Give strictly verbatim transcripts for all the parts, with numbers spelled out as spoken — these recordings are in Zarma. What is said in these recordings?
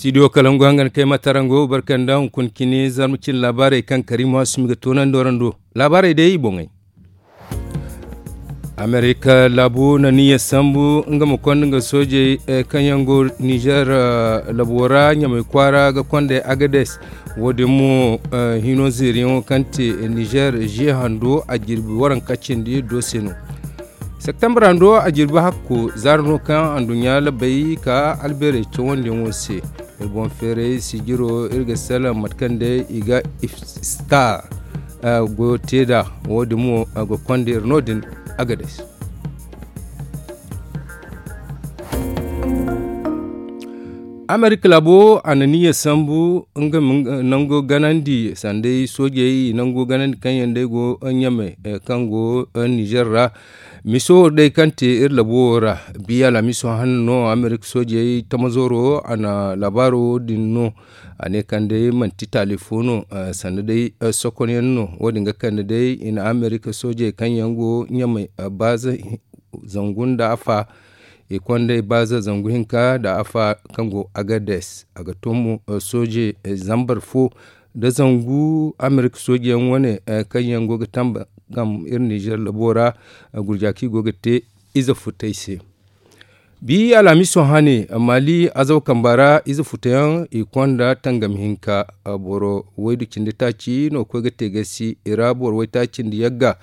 Studio kalangu hangan kay matarango barkanda hunkuna cine zarma cine laabaarey kaŋ karimu hasumi ga toonandi warando. Laabaarey day i boŋey. Amerika laabu na niyya sambu nga ma konda nga soojey kaŋ yaŋ go nizer labo ra ɲamay kwaara ga konday agades. Wo- din mo hino zeeriyaŋo kaŋ te nizer ze hando a jirbi waranka cindi do se no. Septembre hando a jirbi hakko zaara no kaŋ anduɲɲa labay ka albeerey cawandiyaŋo se. Iri boŋ feeray sijiro iri ga salaŋ mate kaŋ day i ga iftar goyo te nd'a. Wo- din mo a ga konda iri no- din agades. Amerika laabo a na niyya sambu nga ma nango ganandi sanday soojey i nango ganandi kaŋ yaŋ day go ɲamay kaŋ go nizer ra. Miso day kaŋ te iri labo wo ra, biya laamiso hanno no amerika soojey tamazoro a na laabaaro din no. A ne kaŋ day manti taali fo no sanda day sokonyaŋ no. Wo- din ga kande day i na amerika soojey kaŋ yaŋ go ɲamay baaza zangu nda afa i konday baaza zangu hinka nda afa kaŋ go agades a ga to mo sooje zambar fo nda zangu amerika soojeyaŋ wane kaŋ yaŋ go ga tamba gam iri nizer labo ra. Gurja kaŋ i go ga te ize futay se. Bi alhamiso hane maali azaw kamba ra ize futa yaŋ i konda tangam hinka boro waydu cindi taaci no ga koy ga te gasi i ra boro waytaaci nda yagga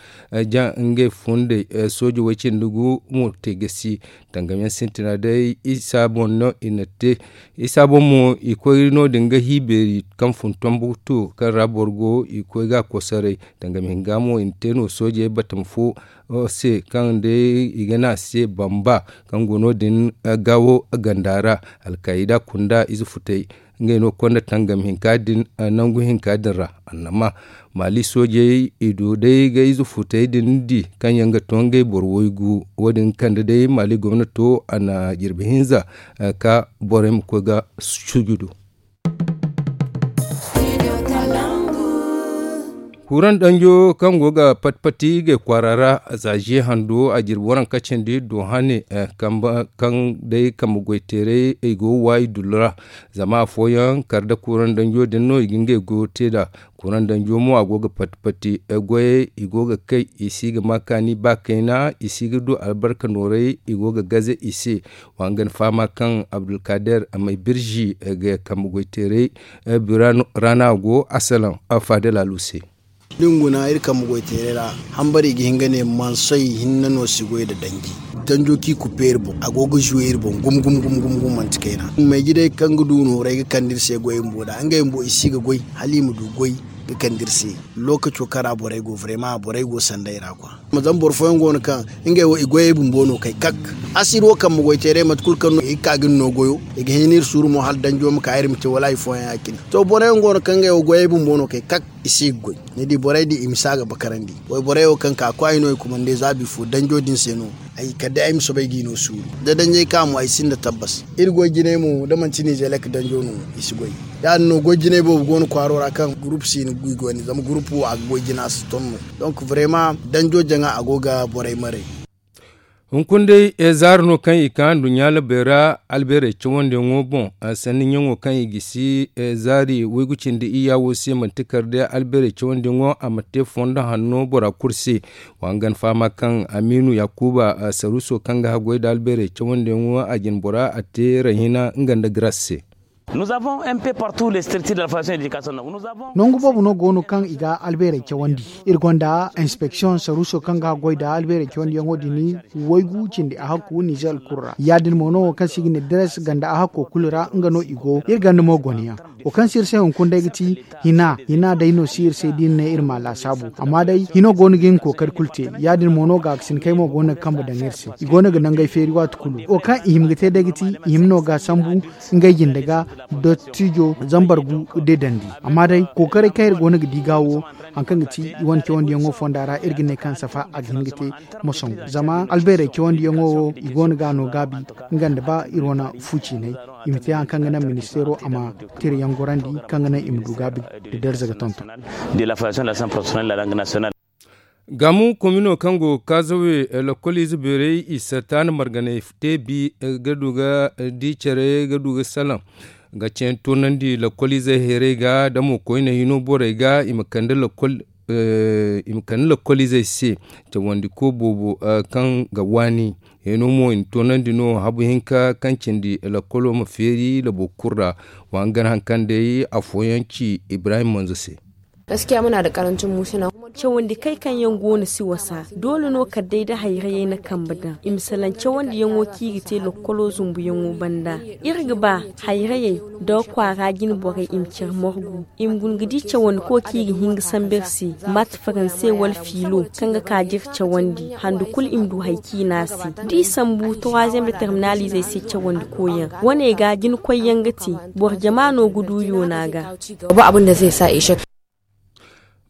ja ngey fundey sooji way cindi gu mo te gasi. Tangam yaŋ sintina day isa boŋ no i na te isa boŋ mo i koy no- din ga hi beeri kaŋ fun tombutu kaŋ ra boro go i koy ga a kosoray. Tangam hinga mo i na te no soojey batama fo se kaŋ day i ga ne a se bamba kaŋ go no- din gaawo ganda ra. Alkayda kunda ize futay ngey no ga konda tangam hinka din nangu hinka din ra. Annama maali soojey i du day ga ize futay din di kaŋ yaŋ ga to ngey boro waygu wo- din kande day maali gomnato a na jirbi hinza ka borey ma koy ga sujudu. Kuran danjo kaŋ go ga pati pati gay kwaara ra za ze hando a jirbi waranka cindi do hane kaŋ day kambe goy teeray i go ga waayi dullu ra. Zama afooyaŋ kar nda kuran danjo din no i ga ngey goyo te nd'a. Kuran danjo mo a go ga pati pati goyey i go ga kay i si ga ma kaani ba kayna i si ga du albarka nooray i go ga gaze i se. Wa nga ni fahama kaŋ abdulkader may birzi ga kambe goyteeray bira ra no a go a salaŋ. Faadal alu se. Da ni guna iri kambe goyteeray ra hambari ga hin ga ne mansoy hinne no si goy nda danji. Danjo kaŋ i kuppe iri boŋ a go ga zuwe iri boŋ gum gum gum gum manti kayna. May jidey kaŋ ga du nooray ga kande iri se goy bumbo nd'a ngey bumbo i si ga goy hala i ma du goy ga kande iri se. Lookaco kaŋ ra borey go vrema borey go sanday ra kwa. Zama boro fooyaŋ go no kaŋ ngey wo i goyey bumbo no kay kak. Asiri wo kambe goyteeray mate kulu kaŋ no i ga ka ga ni no goyo i ga hin iri suuru mo hala danjo ma ka iri ma te wala hari fooyaŋ ya- cine. To boro yaŋ go no kaŋ ngey wo goyey bumbo no kay kak i si ga goy. Ni di borey din i ma si a ga bakarandi. Wayborey wo kaŋ ka kwaay no i kumande za bifo danjo din se no. Ay kala day ay ma soobay g'i no suuru da danjey ka mo ay sinda tabbas. Iri goy jinay mo da manti nizelek danjo no i si goy. Ya- din no goy jinay boobo go no kwaaro ra kaŋ gurupu si no i goy ne zama gurupu wo a ga goy jina si ton no. Donk vrema danjo jaŋa a go ga borey maray. Hunkuna day zaari no kaŋ i ka nduɲɲa labey ra albeerey cawandiyaŋo boŋ. Sanni ɲaŋo kaŋ i gisi zaari waygu cindi iyya wo se manti kar day albeerey cawandiyaŋo a ma te fondo hanno bora kulu se. Wa nga ni fahama kaŋ amiinu yaakuba saruuso kaŋ ga haggoy nda albeerey cawandiyaŋo a jine bora a te rahina nga nda garas se. Nangu boobo no go no kaŋ i ga albeerey cawandi. Iri gonda inspeksiyoŋ saruuso kaŋ ga haggoy nda albeerey cawandiyaŋo din waygu cindi a hakku nizer kulu ra ya- din mo no wo kaŋ se i ga ne dres ganda a hakko kulu ra nga no i go iri ganda mo gone yaŋ. Wo kaŋ si iri se hunkuna day ga ti hina hina day no si iri se da iri ne iri ma a laasaabu amma day hino go no ga iri ma kookari kulu te. Ya- din mo no gaakasinkey mo go no ga kambe daŋ iri se i go no ga nangey feeri waati kulu wo kaŋ i hima ga te day ga ti i hima no ga sambu ngey jinde ga dottijo zambar gu de dandi. Amma day kookaray kaŋ iri go no ga di ga wo hari kaŋ ga ti i wane cawandiyaŋo fonda ra iri ga ne kaŋ safa a ga hin ga te ma sangu zama albeerey cawandiyaŋo wo i go no ga a no gaabi nga nda ba iri wane fu ciinay i ma te hari kaŋ ga naŋ ministeero a ma tirayaŋ gorandi kaŋ ga naŋ i ma du gaabi nda darza ga tonton. Gaamu komino kaŋ go ga kaazawe lakkol ize beerey i sata nda marganay te bi ga du ga di care ga du ga salaŋ. Ga cen toonandi lakkoliizey heerey ga da mo koyne hino borey ga i ma kande lakkoliizey se cawandiko boobo kaŋ ga waani. Heeno mo i na toonandi no habu hinka kaŋ cindi lakkolo ma feeri labo kulu ra. Wa hangan haŋ kaŋ day afooyaŋ ci ibrahim manzo se. Cawandi kay kaŋ yaŋ go no si wasa doole no kala day da hayrayey na kambe daŋ i ma salaŋ cawandiyaŋo kaŋ i ga te lakkolo zumbuyaŋo banda. Iri ga ba hayrayey nda kwaara jine borey i ma care morgu i ma guna ga di cawandi ko kaŋ i ga hin ga sambu iri se, maate faranse wala fiilo kaŋ ga ka da iri cawandi hande kulu i ma du hari kaŋ i ne a se. Da i sambu turaaziyem da terminaliizey se cawandi koyyaŋ wane ga jina koyyaŋ ga te. Boro jama no ga du yoona ga.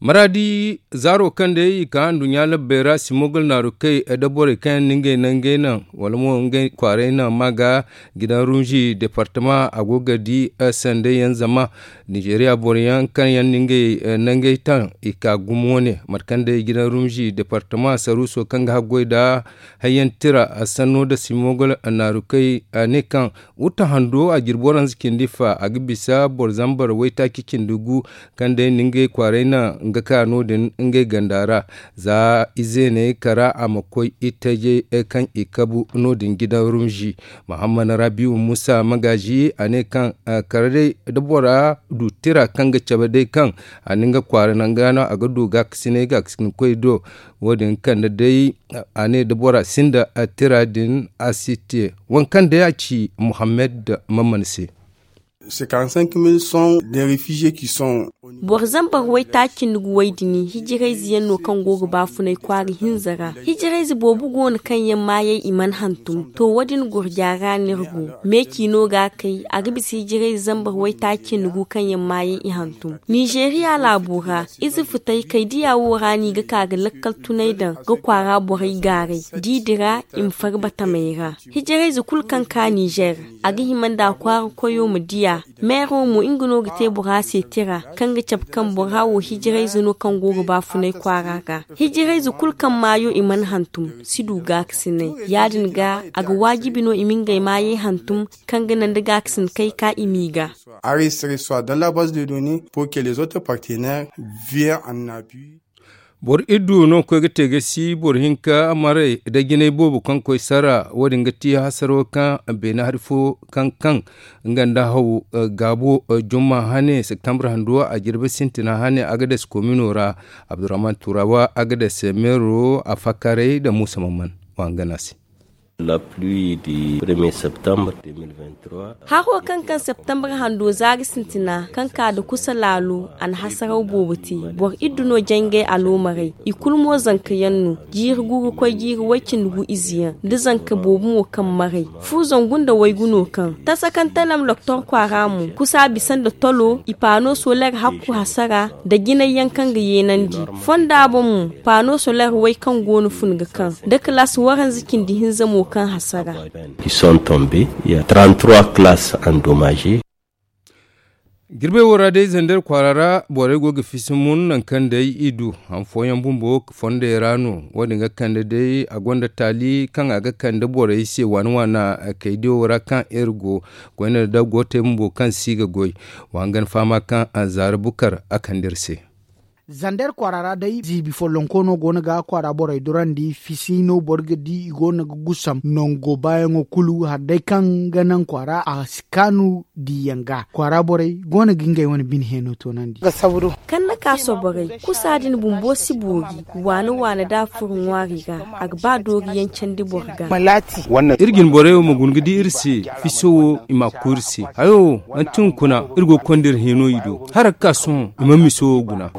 Maraadi zaaro kaŋ day i ka nduɲɲa labbey ra simogol naaru kay da borey kaŋ yaŋ na ngey nangey naŋ wala mo ngey kwaaray naŋ ma ga gidan runzi departama a go ga di sanday yaŋ zama nizeriya boro yaŋ kaŋ yaŋ na ngey nangey taŋ i ka gumo ne mate kaŋ day gidan runzi departama saruuso kaŋ ga haggoy nda hayyaŋ tira sanno nda simogol naaru kay a ne kaŋ wutta hando a jirbi waranza cindi fa a ga bisa boro zambar waytaaci cindi gu kaŋ day na ngey kwaaray naŋ nga ka no- din ngey ganda ra. Za izeeney kara a ma koy itajey kaŋ i kabu no- din gidan rumzi. Muhammad rabiu musa magaazi a ne kaŋ kara day da bora du tira kaŋ ga cabe day kaŋ a na nga kwaara nanga no a ga du gaakasinay gaakasinkoy do. Wo- din kande day a ne da bora sinda tira din a si te. Waŋ kaŋ day a ci muhammad maman se. Boro zambar waytaaci cindi gu way din hijirayze yaŋ no kaŋ go ga baafunay kwaara hinza ra. Hijirayze boobo go no kaŋ yaŋ maayey i mana hantum to wo- din gurja ra no iri go. Meeci no ga a kay a ga bisa hijirayze zambar waytaaci cindi gu kaŋ yaŋ maayey i hantum. Nizeeriya laabo ra ize futay kay diya wo ra no i ga ka ga lakkal tunay daŋ ga kwaara borey gaaray da i dira i ma far batamey ra. Hijirayze kulu kaŋ ka nizer a ga hima nda a kwaara koyo ma diya. Meero mo nga no ga te bora se tira kaŋ ga cabe kaŋ bora wo hijirayze no kaŋ go ga baafunay kwaara ga. Hijirayze kulu kaŋ maayo i mana hantum si du gaakasinay. Ya- din ga a ga waajibi no i ma ngey maayey hantum kaŋ ga naŋ da gaakasin kay ka i m'i ga. Arrêt serait soit dans la base de données pour que les autres partenaires viennent en appui. Boro iddu no koy ga te ga si boro hinka maray da jinay boobo kaŋ koy sara wo- din ga ti hasaro kaŋ beene hari fo kaŋ kaŋ nga nda haw gaabo jumma hane septembre hando a jirbi sintina hane agades komino ra. Abdurrahman turawa agades meero a fakkaray nda muusa mamman. Wa nga no a se. Haro kaŋ kaŋ septembre hando zaari sintina kaŋ ka nda kusa laalo a na hasaraw boobo te. Boro iddu no jangay aloomarey i kulu mo zanka yaŋ no. Jiiri gu ga koy jiiri way-cindi gu ize yaŋ nda zanka boobo mo kaŋ maray fu zangu nda waygu no kaŋ tasa kaŋ talam loktor kwaara mo kusa bisa nda tolo i paano soler hakku hasara nda jinay yaŋ kaŋ ga yeenandi. Fonda boŋ mo paano soler way kaŋ go no fun ga kaŋ nda kalaas waranza cindi hinza mo kaŋ hasara. Qui sont tombés, il y a trente-trois classes endommagées. Jirbey wo ra day zander kwaara ra borey go ga fisi mun nangu kaŋ day i du han fooyaŋ bumbo fondey ra no. Wo- din ga kande day a gonda taali kaŋ a ga kande borey se waana waana kaydiyo ra kaŋ iri go koyne da gootey bumbo kaŋ si ga goy. Wa hangan fahama kaŋ a zaara bukar a kande iri se. Zander kwaara ra day ziibi follonko no go no ga kwaara borey durandi fisi no boro ga di i go no ga gusam nango baayaŋo kulu hari day kaŋ ga naŋ kwaara a si kaanu diiyaŋ ga kwaara borey go no ga ngey wane bine heeno toonandi. Kaŋ na ka soborey kusa din bumbo si boori waana waana da a furo ŋwaari ga a ga ba dooriyaŋ candi boro ga. Iri jine borey wo ma guna ga di iri se fiso wo i ma a ku iri se hayo wo manti hunkuna iri go ga konda iri heeno i do hala ga ka sohõ i mana miso wo guna.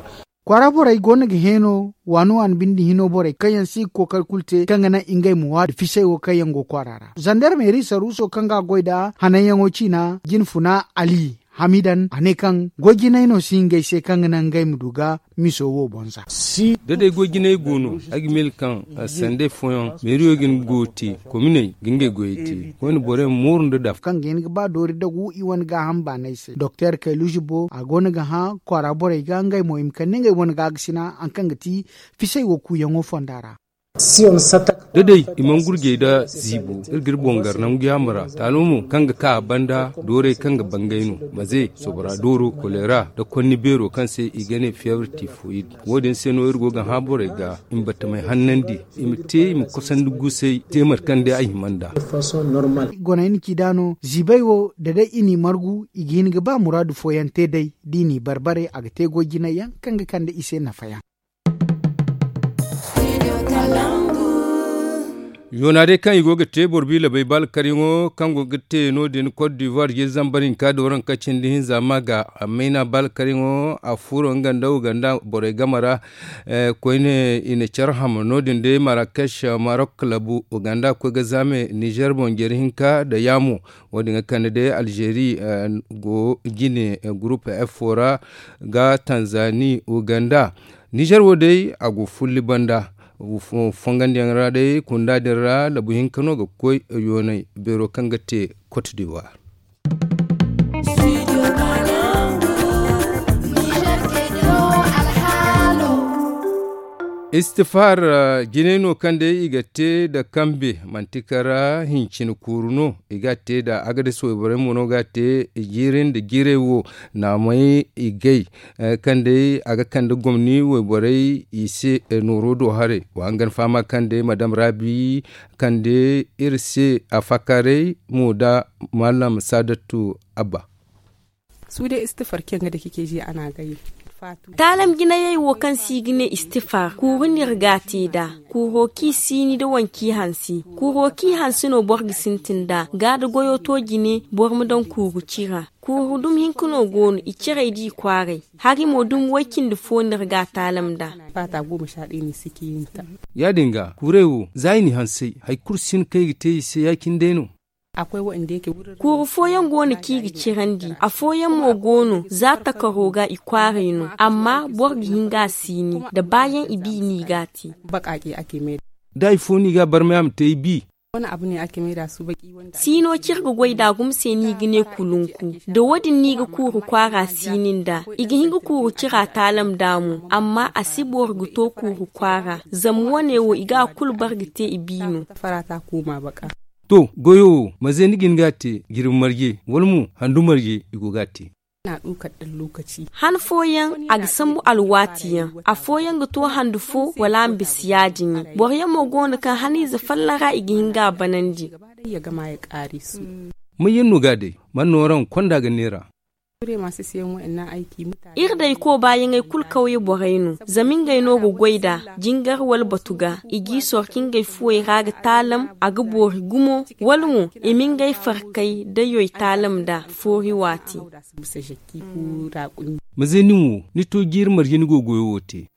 Kwaara borey go no ga heeno waani waani binde hino borey kaŋ yaŋ si ga kookari kulu te kaŋ ga naŋ ngey ma waadu fisey wo kaŋ yaŋ go kwaara ra zandarmeeri saruuso kaŋ ga a goy nd'a hananyaŋo ciina jine funa ali hamidan a ne kaŋ goy jinay no si ngey se kaŋ ga naŋ ngey ma du ga miso wo boŋ za. Da day goy jinay go no ay ga miila kaŋ sandey fooyaŋ meeriyo ga hin ga goyo te kominey ga ngey goyey te koyne borey ma mooru nda dafa kaŋ ga hin ga ba doori dagu i wane gaaham baanay se doktor kayluuzi bo a go no ga hã kwaara borey ga ngey mo i ma kande ngey wane gaakasina hari kaŋ ga ti fisey wo kuuyaŋo fonda ra. Da day i mana gurjey nda ziibo, iri ga iri boŋ gar nangu yaamar ra. Taalo mo kaŋ ga ka a banda, doorey kaŋ ga bangay no. Maze, sobora dooro, kolera, nda konni beero kaŋ se i ga ne fiyebre tifoyid. Wo- din se no iri go ga hã borey ga i ma battamay hannandi, i ma te i ma kosandi gusay, te mate kaŋ day a hima nd'a. Goney na ci nd'a no, ziibay wo, da day i n'i margu, i ga hin ga ba muraadu fooyaŋ te day. Da i n'i bar-bare, a ga te goy jinay yaŋ kaŋ ga kande i se nafa yaŋ. Yoona day kaŋ i go ga te boro biila bay baalkaryaŋo kaŋ go ga te no- din kot divuwar jiiri zambar hinka da waranka cindi hinza ma ga. Amma i na baalkaryaŋo a furo nga nda uganda borey game ra. Koyne i na care ham no- din day marakech marok labu uganda koy ga zaame nizer boŋ jeeri hinka nda yaamo. Wo- din ga kande day alzeeri go jine gurup f ra ga tanzani uganda. Nizer wo day a go fulli banda. Fongandiyaŋ ra day kunda din ra labu hinka no ga koy yoonay beero kaŋ ga te kot divuwar. Istifar jinay no kaŋ day i ga te nda kambe manti kara hincina kuuru no. I ga a te nda agadis wayborey mo no ga a te jiiri nda jiirey wo. Naamay i gay kaŋ day a ga kande gomni wayborey i se nooro do haray. Wa hangan fahama kaŋ day madam rabi kande iri se a fakaray mo nda malam saadatu abba. Suude istifar kaŋ ga dake keeji a na gay. Taalam jinayey wo kaŋ se i ga ne istifar kuuru no iri ga a te nd'a. Kuuro kaŋ i siini nda waŋ kaŋ i hanse. Kuuro kaŋ i hanse no boro ga sintin nd'a ga da goyo to jine boro ma daŋ kuuru cira. Kuuru dumi hinka no go no i ciray da i kwaaray. Hari mo dumi way-cindi fo no iri ga a taalam nd'a. Ya- din ga kuurey wo za i n'i hansay hari kulu si no kaŋ i ga te i se ya- cine day no. Kuuru fooyaŋ go no kaŋ i ga cirandi afooyaŋ mo go no za takaro ga i kwaaray no. Amma boro ga hin ga a siini nda baayaŋ i bi no i ga a te. Da hari fo no i ga a barmay a ma te i bi. Siino kaŋ iri ga goy nd'a gumo se no i ga ne kulunku. Da wo- din no i ga kuuru kwaara siini nd'a. I ga hin ga kuuru cira taalam nd'a mo. Amma a si boro ga to kuuru kwaara zama wo- ne wo i ga a kulu bare ga te i bi no. To goyo wo manze ni ga hin ga a te jirbi marje wala mo handu marje i go ga a te. Han fooyaŋ a ga sambu alwaati yaŋ. Afooyaŋ ga to handu fo wala a ma bisa ya- din yaŋ. Boro yaŋ mo go no kaŋ haniize folloŋ ra i ga hin ga a banandi. May yaŋ no ga a day? Man nooraŋ konda ga neera. Iri dayko baayaŋey kulu kawye borey no. Zama ngey no ga goy nd'a jingar wala batu ga i g'i sorka ngey fuwey ra ga taalam. A ga boori gumo wala mo i ma ngey farkay da yoy taalam nd'a foori waati. Manze nin wo ni to jiiri marje ni go goyo wo te?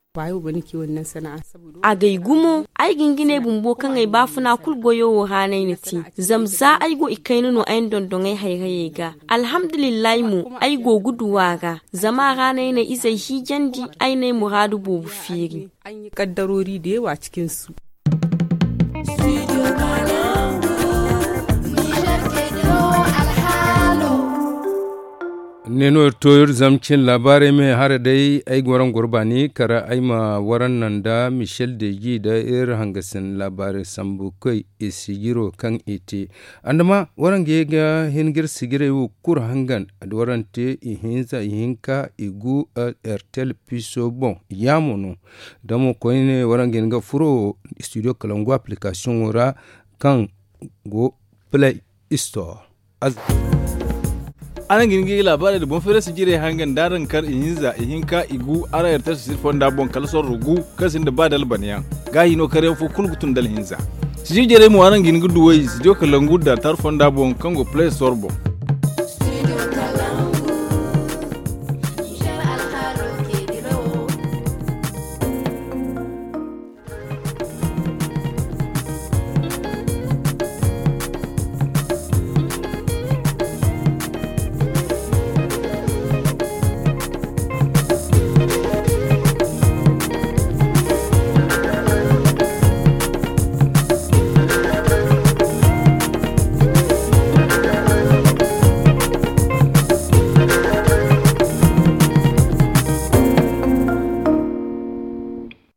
Agay gumo. Ay ga hin ga ne bumbo kaŋ ay baafuna kulu goyo wo ra no ay na te. Zama za ay go i kayna no ay na dondoŋ ay hayrayey ga. Alhamdulillahi mo ay go ga du a ra. Zama a ra no ay na izey hiijandi ay na ay muraadu boobo feeri. Ne no iri to iri zama cin laabaarey me hara day ay ga waraŋ goro baani kara ay ma waraŋ naŋ nda michel deji nda iri hangasin laabaarey sambu koy i sijiro kaŋ i te. Andama waraŋ ga ye ga hin ga iri sijirey wo kulu hangan da waraŋ te ihinza ihinka igu. Ertel piso boŋ yaamo no. Da mo koyne waraŋ ga hin ga furo studio kalangu application wo ra kaŋ go play store. Araŋ ga hin ga i laabaarey nda boŋ feerasi jirey hangan da araŋ kar ihinza ihinka igu araŋ ertel sijir fonda boŋ kala sorro gu kaŋ sinda ba dalbanayaŋ. Ga hino karyaŋ fo kulu ga tun dala hinza. Sijir jirey mo araŋ ga hin ga duw'ey sijir kalangu da tar fonda boŋ kaŋ go play store boŋ.